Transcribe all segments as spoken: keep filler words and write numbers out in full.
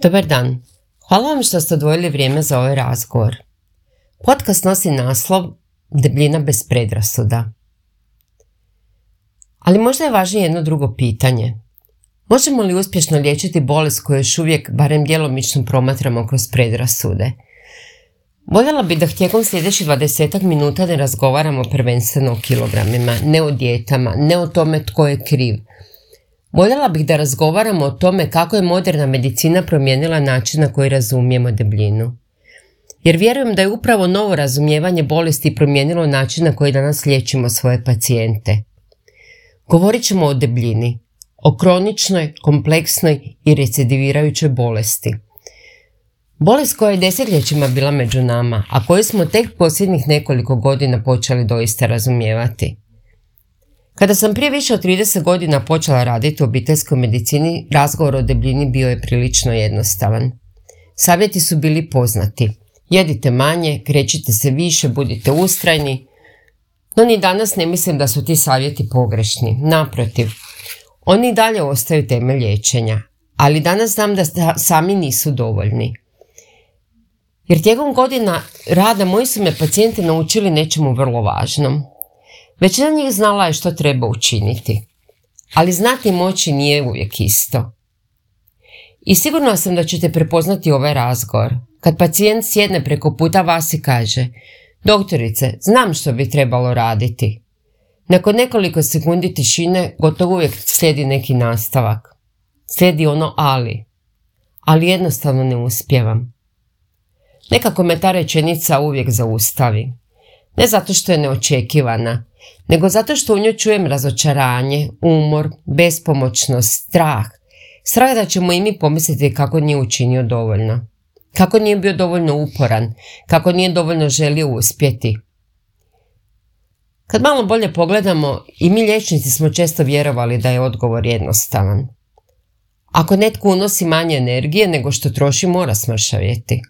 Dobar dan. Hvala vam što ste odvojili vrijeme za ovaj razgovor. Podcast nosi naslov Debljina bez predrasuda. Ali možda je važnije jedno drugo pitanje. Možemo li uspješno liječiti bolest koju još uvijek, barem djelomično, promatramo kroz predrasude? Voljela bi da tijekom sljedećih dvadesetak minuta ne razgovaramo prvenstveno o kilogramima, ne o dijetama, ne o tome tko je kriv. Voljela bih da razgovaramo o tome kako je moderna medicina promijenila način na koji razumijemo debljinu. Jer vjerujem da je upravo novo razumijevanje bolesti promijenilo način na koji danas liječimo svoje pacijente. Govorit ćemo o debljini, o kroničnoj, kompleksnoj i recidivirajućoj bolesti. Bolest koja je desetljećima bila među nama, a koju smo tek posljednjih nekoliko godina počeli doista razumijevati. Kada sam prije više od trideset godina počela raditi u obiteljskoj medicini, razgovor o debljini bio je prilično jednostavan. Savjeti su bili poznati. Jedite manje, krećite se više, budite ustrajni. No ni danas ne mislim da su ti savjeti pogrešni. Naprotiv, oni i dalje ostaju temelj liječenja. Ali danas znam da sami nisu dovoljni. Jer tijekom godina rada moji su me pacijenti naučili nečemu vrlo važnom. Većina njih znala je što treba učiniti, ali znati moći nije uvijek isto. I sigurno sam da ćete prepoznati ovaj razgovor, kad pacijent sjedne preko puta vas i kaže: doktorice, znam što bi trebalo raditi. Nakon nekoliko sekundi tišine gotovo uvijek slijedi neki nastavak. Slijedi ono ali. Ali jednostavno ne uspijevam. Nekako me ta rečenica uvijek zaustavi. Ne zato što je neočekivana, nego zato što u njoj čujem razočaranje, umor, bespomoćnost, strah. Strah da ćemo i mi pomisliti kako nije učinio dovoljno. Kako nije bio dovoljno uporan, kako nije dovoljno želio uspjeti. Kad malo bolje pogledamo, i mi liječnici smo često vjerovali da je odgovor jednostavan. Ako netko unosi manje energije nego što troši, mora smršavjeti.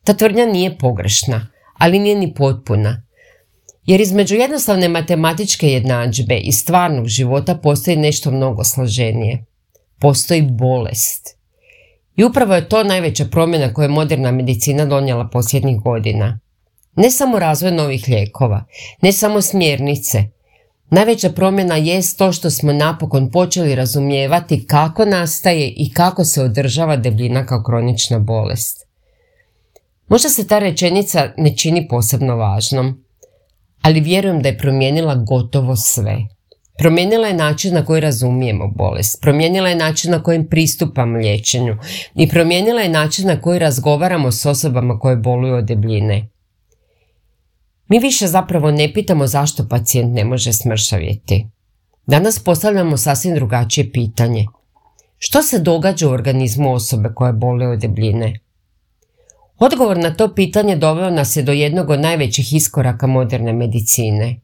Ta tvrdnja nije pogrešna, ali nije ni potpuna. Jer između jednostavne matematičke jednadžbe i stvarnog života postoji nešto mnogo složenije. Postoji bolest. I upravo je to najveća promjena koju je moderna medicina donijela posljednjih godina. Ne samo razvoj novih lijekova, ne samo smjernice. Najveća promjena jest to što smo napokon počeli razumijevati kako nastaje i kako se održava debljina kao kronična bolest. Možda se ta rečenica ne čini posebno važnom, ali vjerujem da je promijenila gotovo sve. Promijenila je način na koji razumijemo bolest, promijenila je način na kojim pristupamo liječenju i promijenila je način na koji razgovaramo s osobama koje boluju od debljine. Mi više zapravo ne pitamo zašto pacijent ne može smršavjeti. Danas postavljamo sasvim drugačije pitanje. Što se događa u organizmu osobe koja boluje od debljine? Odgovor na to pitanje doveo nas je do jednog od najvećih iskoraka moderne medicine.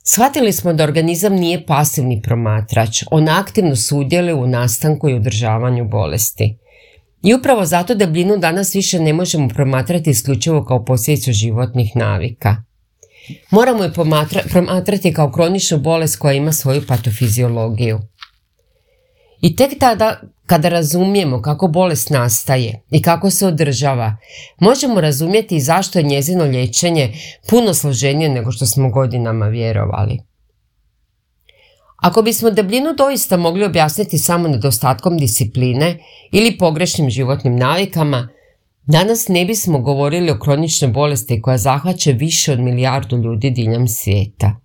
Shvatili smo da organizam nije pasivni promatrač, on aktivno sudjeluje u nastanku i održavanju bolesti. I upravo zato debljinu danas više ne možemo promatrati isključivo kao posljedicu životnih navika. Moramo je pomatra- promatrati kao kroničnu bolest koja ima svoju patofiziologiju. I tek tada, kada razumijemo kako bolest nastaje i kako se održava, možemo razumjeti zašto je njezino liječenje puno složenije nego što smo godinama vjerovali. Ako bismo debljinu doista mogli objasniti samo nedostatkom discipline ili pogrešnim životnim navikama, danas ne bismo govorili o kroničnoj bolesti koja zahvaća više od milijardu ljudi diljem svijeta.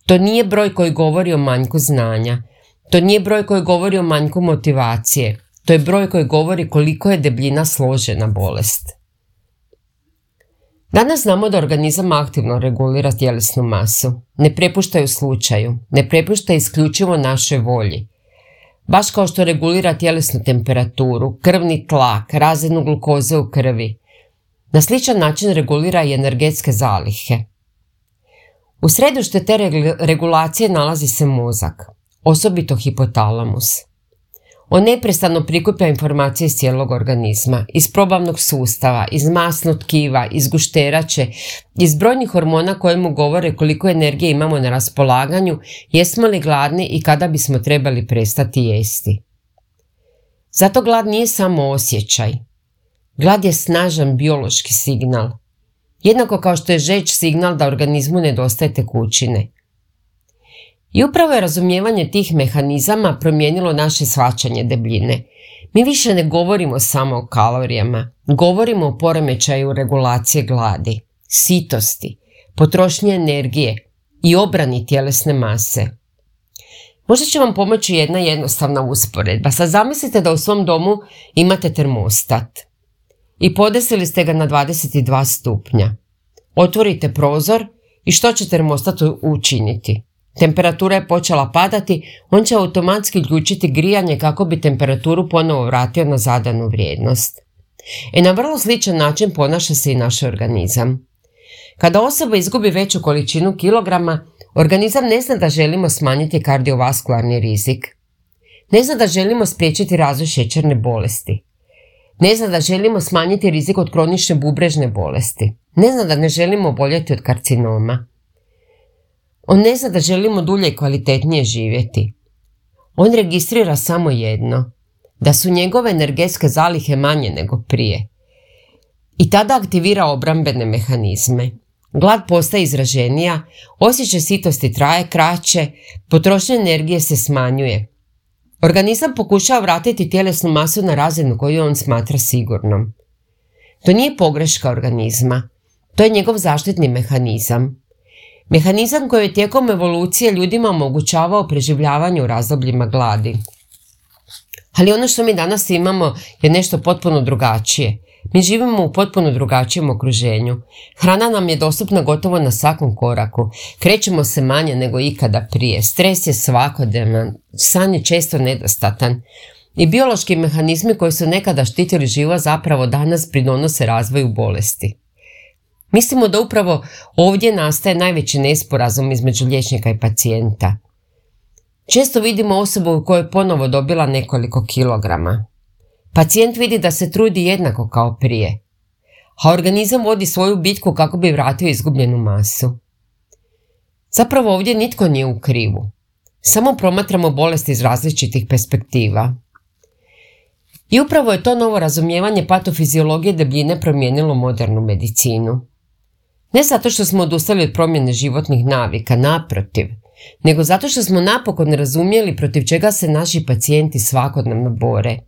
To nije broj koji govori o manjku znanja. To nije broj koji govori o manjku motivacije, to je broj koji govori koliko je debljina složena bolest. Danas znamo da organizam aktivno regulira tjelesnu masu, ne prepušta ju slučaju, ne prepušta isključivo našoj volji. Baš kao što regulira tjelesnu temperaturu, krvni tlak, razinu glukoze u krvi. Na sličan način regulira i energetske zalihe. U središtu te regulacije nalazi se mozak, osobito hipotalamus. On neprestano prikuplja informacije iz cijelog organizma, iz probavnog sustava, iz masnog tkiva, iz gušterače, iz brojnih hormona koje mu govore koliko energije imamo na raspolaganju, jesmo li gladni i kada bismo trebali prestati jesti. Zato glad nije samo osjećaj. Glad je snažan biološki signal. Jednako kao što je žeđ signal da organizmu nedostaje tekućine. I upravo je razumijevanje tih mehanizama promijenilo naše shvaćanje debljine. Mi više ne govorimo samo o kalorijama, govorimo o poremećaju regulacije gladi, sitosti, potrošnje energije i obrani tjelesne mase. Možda će vam pomoći jedna jednostavna usporedba. Sad zamislite da u svom domu imate termostat i podesili ste ga na dvadeset dva stupnja. Otvorite prozor i što će termostat učiniti? Temperatura je počela padati, on će automatski uključiti grijanje kako bi temperaturu ponovo vratio na zadanu vrijednost. E na vrlo sličan način ponaša se i naš organizam. Kada osoba izgubi veću količinu kilograma, organizam ne zna da želimo smanjiti kardiovaskularni rizik. Ne zna da želimo spriječiti razvoj šećerne bolesti. Ne zna da želimo smanjiti rizik od kronične bubrežne bolesti. Ne zna da ne želimo oboljeti od karcinoma. On ne zna da želimo dulje i kvalitetnije živjeti. On registrira samo jedno, da su njegove energetske zalihe manje nego prije. I tada aktivira obrambene mehanizme. Glad postaje izraženija, osjećaj sitosti traje kraće, potrošnja energije se smanjuje. Organizam pokušava vratiti tjelesnu masu na razinu koju on smatra sigurnom. To nije pogreška organizma, to je njegov zaštitni mehanizam. Mehanizam koji je tijekom evolucije ljudima omogućavao preživljavanje u razdobljima gladi. Ali ono što mi danas imamo je nešto potpuno drugačije. Mi živimo u potpuno drugačijem okruženju. Hrana nam je dostupna gotovo na svakom koraku. Krećemo se manje nego ikada prije. Stres je svakodnevan, san je često nedostatan. I biološki mehanizmi koji su nekada štitili život zapravo danas pridonose razvoju bolesti. Mislimo da upravo ovdje nastaje najveći nesporazum između liječnika i pacijenta. Često vidimo osobu koja je ponovo dobila nekoliko kilograma. Pacijent vidi da se trudi jednako kao prije, a organizam vodi svoju bitku kako bi vratio izgubljenu masu. Zapravo ovdje nitko nije u krivu. Samo promatramo bolesti iz različitih perspektiva. I upravo je to novo razumijevanje patofiziologije debljine promijenilo modernu medicinu. Ne zato što smo odustali od promjene životnih navika, naprotiv, nego zato što smo napokon razumjeli protiv čega se naši pacijenti svakodnevno bore.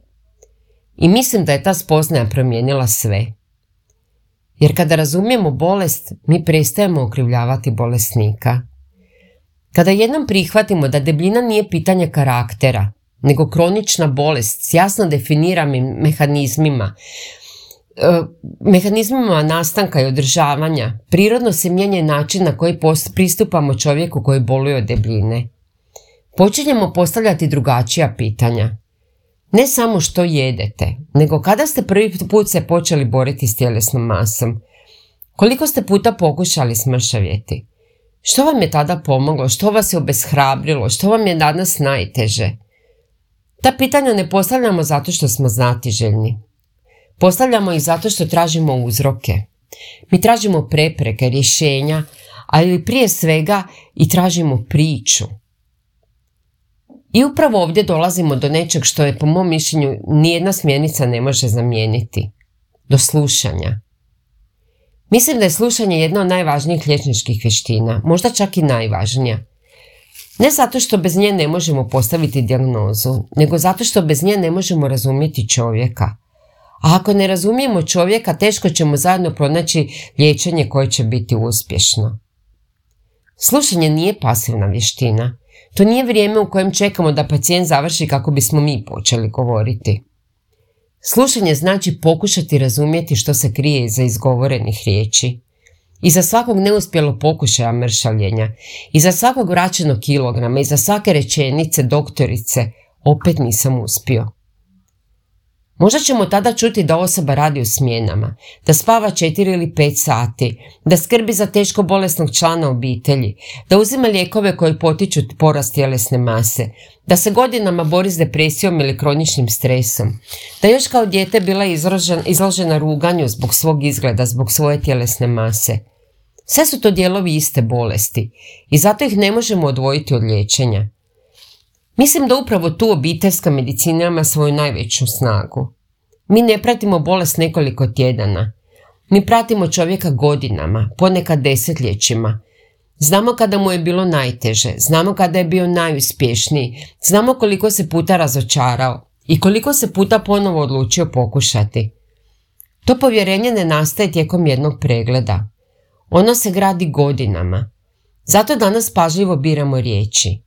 I mislim da je ta spoznaja promijenila sve. Jer kada razumijemo bolest, mi prestajemo okrivljavati bolesnika. Kada jednom prihvatimo da debljina nije pitanje karaktera, nego kronična bolest s jasno definiranim mehanizmima, mehanizmima nastanka i održavanja, prirodno se mijenja način na koji pristupamo čovjeku koji boluje od debljine. Počinjemo postavljati drugačija pitanja. Ne samo što jedete, nego kada ste prvi put se počeli boriti s tjelesnom masom. Koliko ste puta pokušali smršavjeti? Što vam je tada pomoglo? Što vas je obeshrabrilo? Što vam je danas najteže? Ta pitanja ne postavljamo zato što smo znatiželjni. Postavljamo ih zato što tražimo uzroke. Mi tražimo prepreke, rješenja, ali prije svega i tražimo priču. I upravo ovdje dolazimo do nečeg što je po mom mišljenju nijedna smjernica ne može zamijeniti. Do slušanja. Mislim da je slušanje jedna od najvažnijih liječničkih vještina, možda čak i najvažnija. Ne zato što bez nje ne možemo postaviti dijagnozu, nego zato što bez nje ne možemo razumjeti čovjeka. A ako ne razumijemo čovjeka, teško ćemo zajedno pronaći liječenje koje će biti uspješno. Slušanje nije pasivna vještina. To nije vrijeme u kojem čekamo da pacijent završi kako bismo mi počeli govoriti. Slušanje znači pokušati razumjeti što se krije iza izgovorenih riječi. Iza svakog neuspjelog pokušaja mršavljenja, iza svakog vraćenog kilograma, iza svake rečenice doktorice, opet nisam uspio. Možda ćemo tada čuti da osoba radi u smjenama, da spava četiri ili pet sati, da skrbi za teško bolesnog člana obitelji, da uzima lijekove koji potiču porast tjelesne mase, da se godinama bori s depresijom ili kroničnim stresom, da još kao dijete bila izložena, izložena ruganju zbog svog izgleda, zbog svoje tjelesne mase. Sve su to dijelovi iste bolesti i zato ih ne možemo odvojiti od liječenja. Mislim da upravo tu obiteljska medicina ima svoju najveću snagu. Mi ne pratimo bolest nekoliko tjedana. Mi pratimo čovjeka godinama, ponekad desetljećima. Znamo kada mu je bilo najteže, znamo kada je bio najuspješniji, znamo koliko se puta razočarao i koliko se puta ponovo odlučio pokušati. To povjerenje ne nastaje tijekom jednog pregleda. Ono se gradi godinama. Zato danas pažljivo biramo riječi.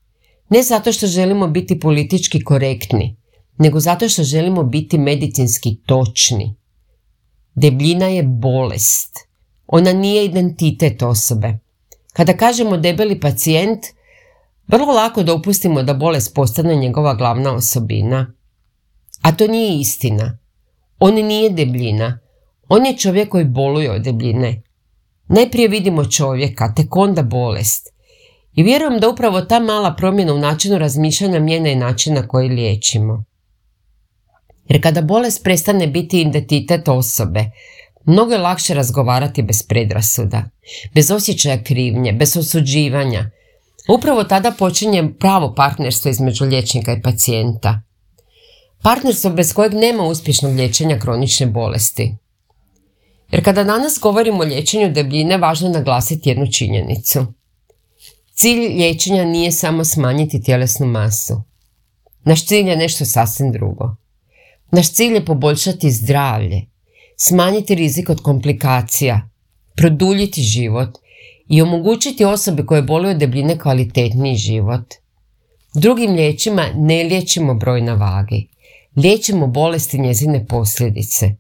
Ne zato što želimo biti politički korektni, nego zato što želimo biti medicinski točni. Debljina je bolest. Ona nije identitet osobe. Kada kažemo debeli pacijent, vrlo lako dopustimo da bolest postane njegova glavna osobina. A to nije istina. On nije debljina. On je čovjek koji boluje od debljine. Najprije vidimo čovjeka, tek onda bolest. I vjerujem da upravo ta mala promjena u načinu razmišljanja mijenja i način na koji liječimo. Jer kada bolest prestane biti identitet osobe, mnogo je lakše razgovarati bez predrasuda, bez osjećaja krivnje, bez osuđivanja. Upravo tada počinje pravo partnerstvo između liječnika i pacijenta. Partnerstvo bez kojeg nema uspješnog liječenja kronične bolesti. Jer kada danas govorimo o liječenju debljine, važno je naglasiti jednu činjenicu. Cilj liječenja nije samo smanjiti tjelesnu masu. Naš cilj je nešto sasvim drugo. Naš cilj je poboljšati zdravlje, smanjiti rizik od komplikacija, produljiti život i omogućiti osobi koje boluju od debljine kvalitetniji život. Drugim riječima ne liječimo broj na vagi, liječimo bolesti i njezine posljedice.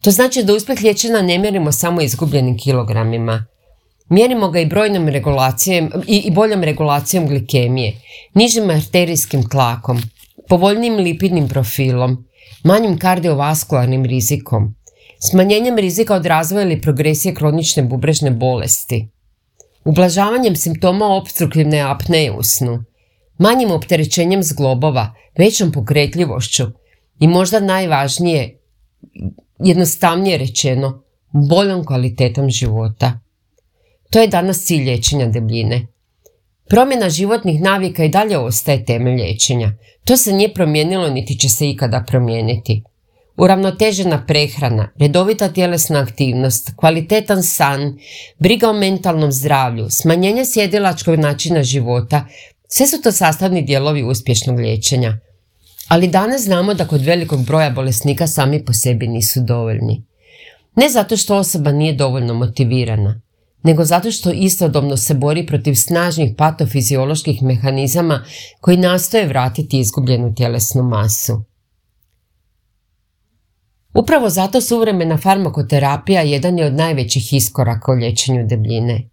To znači da uspjeh liječenja ne mjerimo samo izgubljenim kilogramima. Mjerimo ga i brojnom regulacijom i, i boljom regulacijom glikemije, nižim arterijskim tlakom, povoljnijim lipidnim profilom, manjim kardiovaskularnim rizikom, smanjenjem rizika od razvoja ili progresije kronične bubrežne bolesti, ublažavanjem simptoma opstruktivne apneje u snu, manjim opterećenjem zglobova, većom pokretljivošću i možda najvažnije, jednostavnije rečeno, boljom kvalitetom života. To je danas cilj liječenja debljine. Promjena životnih navika i dalje ostaje temelj liječenja. To se nije promijenilo niti će se ikada promijeniti. Uravnotežena prehrana, redovita tjelesna aktivnost, kvalitetan san, briga o mentalnom zdravlju, smanjenje sjedilačkog načina života, sve su to sastavni dijelovi uspješnog liječenja. Ali danas znamo da kod velikog broja bolesnika sami po sebi nisu dovoljni. Ne zato što osoba nije dovoljno motivirana, nego zato što istodobno se bori protiv snažnih patofizioloških mehanizama koji nastoje vratiti izgubljenu tjelesnu masu. Upravo zato suvremena farmakoterapija jedan je od najvećih iskoraka u liječenju debljine.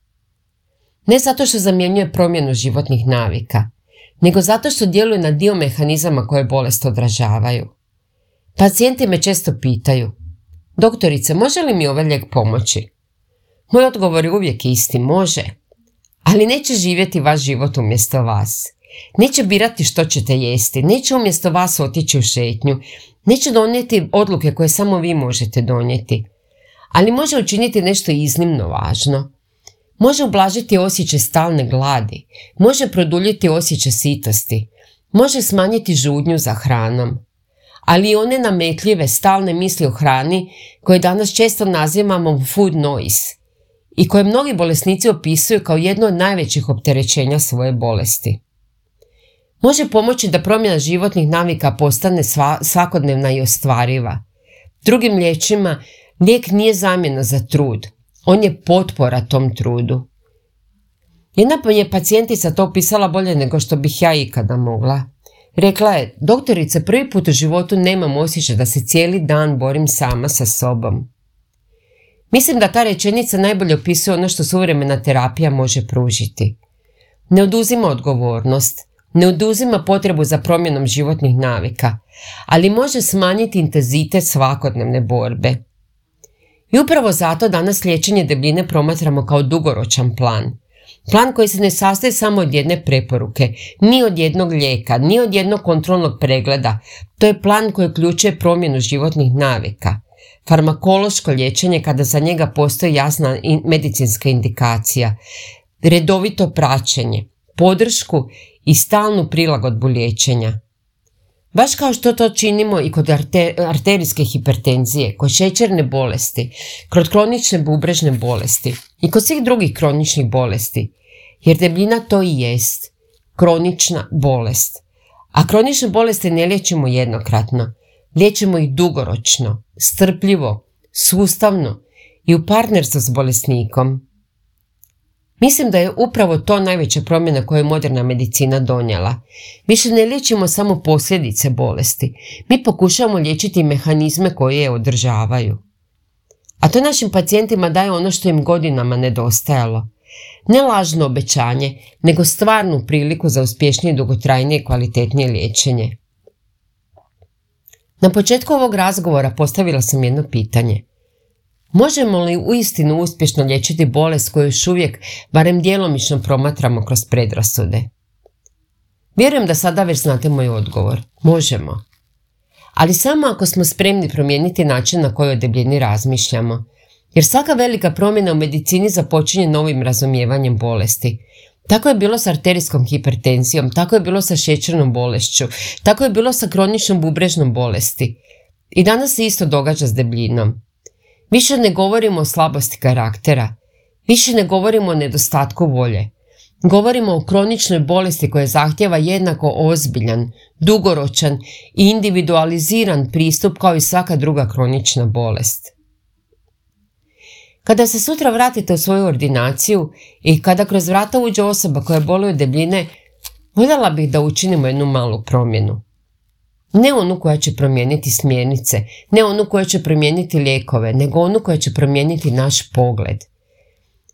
Ne zato što zamjenjuje promjenu životnih navika, nego zato što djeluje na dio mehanizama koje bolest odražavaju. Pacijenti me često pitaju: doktorice, može li mi ovaj lijek pomoći? Moj odgovor je uvijek isti, može, ali neće živjeti vaš život umjesto vas. Neće birati što ćete jesti, neće umjesto vas otići u šetnju, neće donijeti odluke koje samo vi možete donijeti, ali može učiniti nešto iznimno važno. Može ublažiti osjećaj stalne gladi, može produljiti osjećaj sitosti, može smanjiti žudnju za hranom. Ali i one nametljive stalne misli o hrani koje danas često nazivamo food noise i koje mnogi bolesnici opisuju kao jedno od najvećih opterećenja svoje bolesti. Može pomoći da promjena životnih navika postane sva, svakodnevna i ostvariva. Drugim riječima, lijek nije zamjena za trud, on je potpora tom trudu. Jedna je pacijentica to opisala bolje nego što bih ja ikada mogla. Rekla je: doktorice, prvi put u životu nemam osjećaj da se cijeli dan borim sama sa sobom. Mislim da ta rečenica najbolje opisuje ono što suvremena terapija može pružiti. Ne oduzima odgovornost, ne oduzima potrebu za promjenom životnih navika, ali može smanjiti intenzitet svakodnevne borbe. I upravo zato danas liječenje debljine promatramo kao dugoročan plan. Plan koji se ne sastoji samo od jedne preporuke, ni od jednog lijeka, ni od jednog kontrolnog pregleda. To je plan koji uključuje promjenu životnih navika. Farmakološko liječenje kada za njega postoji jasna medicinska indikacija. Redovito praćenje, podršku i stalnu prilagodbu liječenja. Baš kao što to činimo i kod arterijske hipertenzije, kod šećerne bolesti, kod kronične bubrežne bolesti i kod svih drugih kroničnih bolesti, jer debljina to i jest, kronična bolest. A kronične bolesti ne liječimo jednokratno, liječimo ih dugoročno, strpljivo, sustavno i u partnerstvu s bolesnikom. Mislim da je upravo to najveća promjena koju je moderna medicina donijela. Više ne liječimo samo posljedice bolesti, mi pokušavamo liječiti mehanizme koje je održavaju. A to našim pacijentima daje ono što im godinama nedostajalo. Ne lažno obećanje, nego stvarnu priliku za uspješnije, dugotrajnije i kvalitetnije liječenje. Na početku ovog razgovora postavila sam jedno pitanje. Možemo li uistinu uspješno liječiti bolest koju još uvijek, barem djelomično, promatramo kroz predrasude? Vjerujem da sada već znate moj odgovor. Možemo. Ali samo ako smo spremni promijeniti način na koji o debljini razmišljamo. Jer svaka velika promjena u medicini započinje novim razumijevanjem bolesti. Tako je bilo s arterijskom hipertenzijom, tako je bilo sa šećernom bolešću, tako je bilo sa kroničnom bubrežnom bolesti. I danas se isto događa s debljinom. Više ne govorimo o slabosti karaktera, više ne govorimo o nedostatku volje. Govorimo o kroničnoj bolesti koja zahtjeva jednako ozbiljan, dugoročan i individualiziran pristup kao i svaka druga kronična bolest. Kada se sutra vratite u svoju ordinaciju i kada kroz vrata uđe osoba koja boluje od debljine, voljela bih da učinimo jednu malu promjenu. Ne onu koja će promijeniti smjernice, ne onu koja će promijeniti lijekove, nego onu koja će promijeniti naš pogled.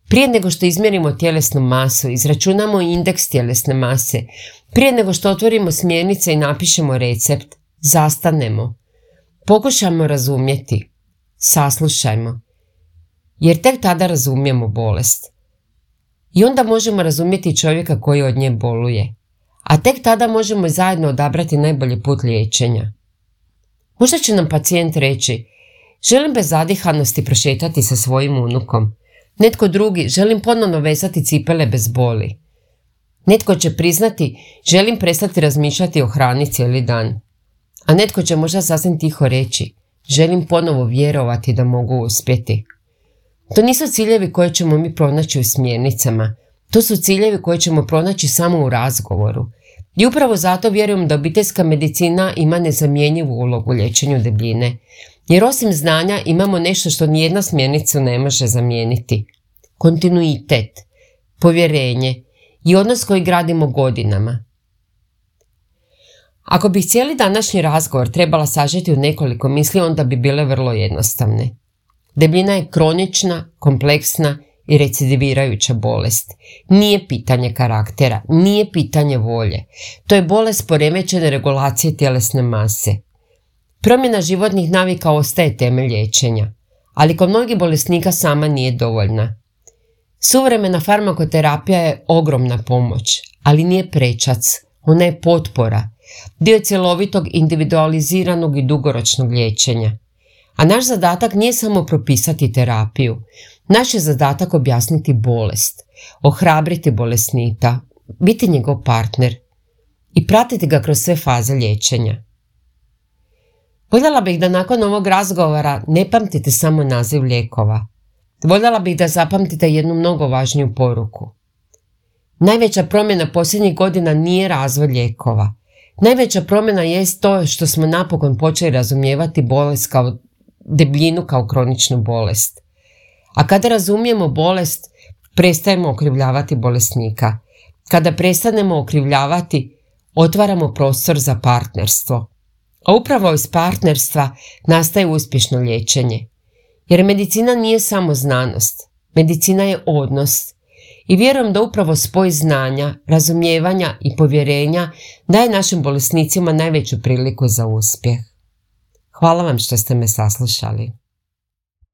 Prije nego što izmjerimo tjelesnu masu, izračunamo indeks tjelesne mase, prije nego što otvorimo smjernice i napišemo recept, zastanemo. Pokušajmo razumjeti, saslušajmo, jer tek tada razumijemo bolest. I onda možemo razumjeti čovjeka koji od nje boluje. A tek tada možemo zajedno odabrati najbolji put liječenja. Možda će nam pacijent reći, želim bez zadihanosti prošetati sa svojim unukom. Netko drugi, želim ponovno vezati cipele bez boli. Netko će priznati, želim prestati razmišljati o hrani cijeli dan. A netko će možda sasvim tiho reći, želim ponovo vjerovati da mogu uspjeti. To nisu ciljevi koje ćemo mi pronaći u smjernicama. To su ciljevi koje ćemo pronaći samo u razgovoru. I upravo zato vjerujem da obiteljska medicina ima nezamjenjivu ulogu u liječenju debljine. Jer osim znanja imamo nešto što nijedna smjernica ne može zamijeniti. Kontinuitet, povjerenje i odnos koji gradimo godinama. Ako bih cijeli današnji razgovor trebala sažeti u nekoliko misli, onda bi bile vrlo jednostavne. Debljina je kronična, kompleksna i recidivirajuća bolest. Nije pitanje karaktera, nije pitanje volje. To je bolest poremećene regulacije tjelesne mase. Promjena životnih navika ostaje temelj liječenja, ali kod mnogih bolesnika sama nije dovoljna. Suvremena farmakoterapija je ogromna pomoć, ali nije prečac, ona je potpora, dio cjelovitog, individualiziranog i dugoročnog liječenja. A naš zadatak nije samo propisati terapiju, naš je zadatak objasniti bolest, ohrabriti bolesnika, biti njegov partner i pratiti ga kroz sve faze liječenja. Voljela bih da nakon ovog razgovora ne pamtite samo naziv lijekova. Voljela bih da zapamtite jednu mnogo važniju poruku. Najveća promjena posljednjih godina nije razvoj lijekova. Najveća promjena jest to što smo napokon počeli razumijevati bolest kao debljinu kao kroničnu bolest. A kada razumijemo bolest, prestajemo okrivljavati bolesnika. Kada prestanemo okrivljavati, otvaramo prostor za partnerstvo. A upravo iz partnerstva nastaje uspješno liječenje. Jer medicina nije samo znanost, medicina je odnos. I vjerujem da upravo spoj znanja, razumijevanja i povjerenja daje našim bolesnicima najveću priliku za uspjeh. Hvala vam što ste me saslušali.